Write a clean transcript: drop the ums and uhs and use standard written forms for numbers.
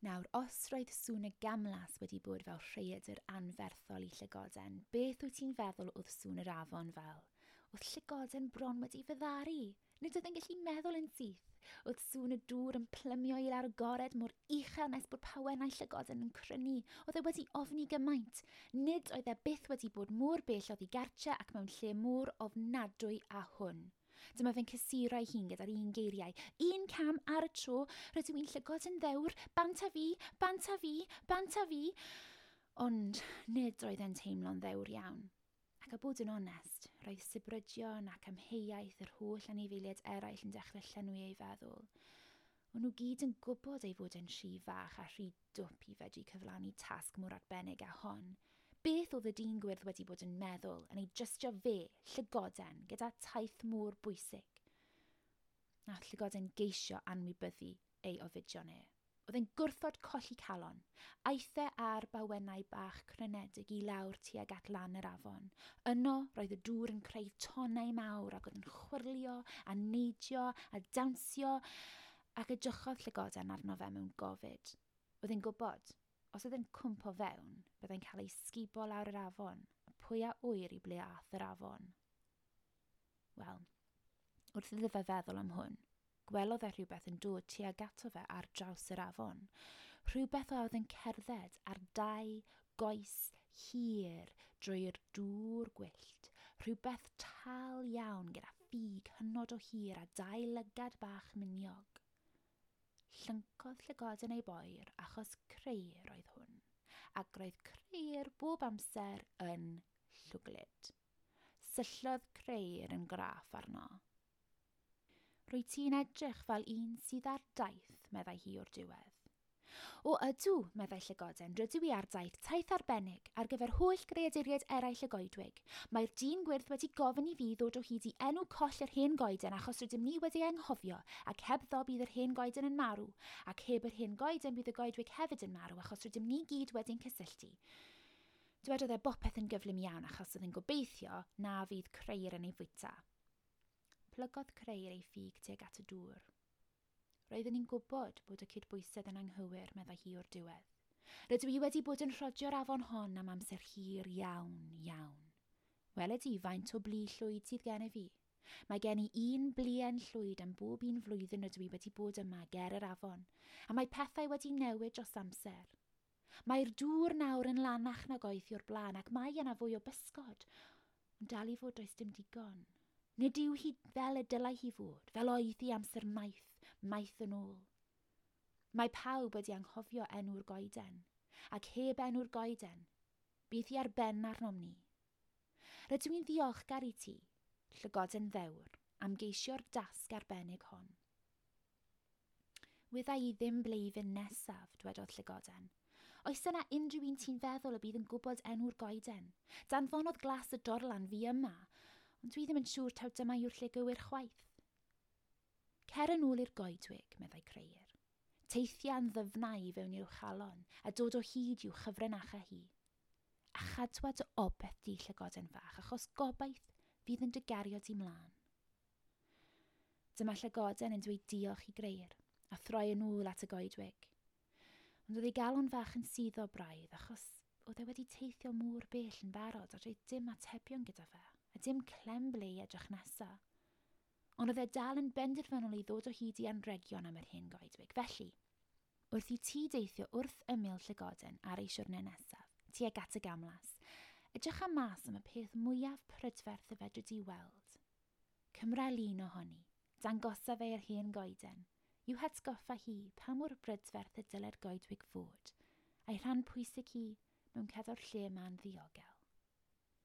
Nawr, os roedd sŵn y gamlas wedi bod fel rhaeadr anferthol i llygoden, beth wyt ti'n feddwl oedd sŵn yr afon fel? Oedd llygoden bron wedi fyddaru. Nid oedd yn gallu meddwl yn syth. Oedd sŵn y dŵr yn plymio i lawr y gored mor uchel nes bod pawennau llygoden yn crynu. Oedd e wedi ofni gymaint. Nid oedd e byth wedi bod mor bell oddi gartre ac mewn lle mor ofnadwy â hwn. Dyma fe'n cysuro ei hun gyda'r un geiriau. Un cam ar y tro, rydw i'n llygod yn ddewr, bant a fi, bant a fi, bant a fi. Ond nid oedd e'n teimlo'n ddewr iawn. Ac a bod yn onest, roedd sibrydion ac amheuaeth yr holl anifeiliaid eraill yn dechrau llenwi ei feddwl. O'n nhw gyd yn gwybod ei fod yn rhy fach a rhy dwp i fedru cyflawni tasg mor arbennig â hon. Beth oedd y dyn gwyrdd wedi bod yn meddwl yn ei drystio fe, llygoden, gyda taith mor bwysig? Nath llygoden geisio anwybyddu ei ofidion e. Oedd e'n gwrthod colli calon. Aeth e ar bawennau bach crynedig i lawr tuag at lan yr afon. Yno, roedd y dŵr yn creu tonnau mawr ac oedd yn chwyrlio a neidio a dawnsio ac edrychodd llygoden arno fe mewn gofid. Oedd e'n gwybod, os oedd e'n cwmpo fewn, byddai'n cael ei sgubo lawr yr afon, a pwy a ŵyr i ble ath yr afon. Wel, wrth iddo fe feddwl am hwn, gwelodd e rhywbeth yn dod tuag ato fe ar draws yr afon. Rhywbeth oedd yn cerdded ar dau goes hir drwy'r dŵr gwyllt. Rhywbeth tal iawn gyda ffug hynod o hir a dau lygad bach miniog. Llyncodd llygoden ei boer achos crëyr oedd hwn, ac roedd crëyr bob amser yn llwglyd. Syllodd crëyr yn graff arno. Rwy ti'n edrych fel un sydd ar daith, meddai hi o'r diwedd. O ydw, meddai llygoden, rydw i ar daith, taith arbennig, ar gyfer holl greaduriaid eraill y goedwig. Mae'r dyn gwyrdd wedi gofyn i fi ddod o hyd i enw coll yr hen goeden achos rydym ni wedi anghofio, ac hebddo bydd yr hen goeden yn marw, ac heb yr hen goeden bydd y goedwig hefyd yn marw achos rydym ni gyd wedi'n cysylltu. Dywedodd e bopeth yn gyflym iawn achos oedd yn gobeithio na fydd crëyr yn ei fwyta. Plygodd crëyr ei ffug tuag at y dŵr. Roeddwn i'n gwybod bod y cydbwysedd yn anghywir, meddai hi o'r diwedd. Rydw i wedi bod yn rhodio'r afon hon am amser hir iawn, iawn. Weled i faint o blu llwyd sydd gennyf i. Mae gen i un bluen llwyd am bob un flwyddyn rydw i wedi bod yma ger yr afon, a mae pethau wedi newid dros amser. Mae'r dŵr nawr yn lanach nag oedd hi o'r blaen ac mae yna fwy o bysgod, ond dal i fod does dim digon. Nid yw hi fel y dylai hi fod, fel oedd hi amser maith, maith yn ôl. Mae pawb wedi anghofio enw'r goeden, ac heb enw'r goeden, bydd hi ar ben arnom ni. Rydw i'n ddiolchgar i ti, llygoden ddewr, am geisio'r dasg arbennig hon. Wydda i ddim ble i fynd nesaf, dwedodd llygoden. Oes yna unrhyw un ti'n feddwl y bydd yn gwybod enw'r goeden? Danfonodd glas y dorlan fi yma, ond dwi ddim yn siŵr taw dyma yw'r lle gywir chwaith. Cer yn ôl i'r goedwig, meddai Crëyr. Teithia'n ddyfnau i fewn i'w chalon a dod o hyd i'w chyfrinachau hi. A chadwa dy obeth di llygoden fach, achos gobaith fydd yn dy gario di mlaen. Dyma llygoden yn dweud diolch i Grëyr a throi yn ôl at y goedwig. Ond oedd ei galon fach yn suddo braidd achos oedd e wedi teithio mor bell yn barod a doedd dim atebion gyda fe, a dim clem ble i edrych nesa. Ond oedd e dal yn benderfynol i ddod o hyd i anregion am yr hen goedwig. Felly, wrth i ti deithio wrth ymyl llygoden ar ei siwrne nesaf, tuag at y gamlas, edrych am mas am y peth mwyaf prydferth y fedri di weld. Cymra lun ohoni, dangosa fe i'r hen goeden, i'w hatgoffa hi pa mor brydferth y dylai'r goedwig fod, a'i rhan pwysig hi mewn cadw'r lle yma'n ddiogel.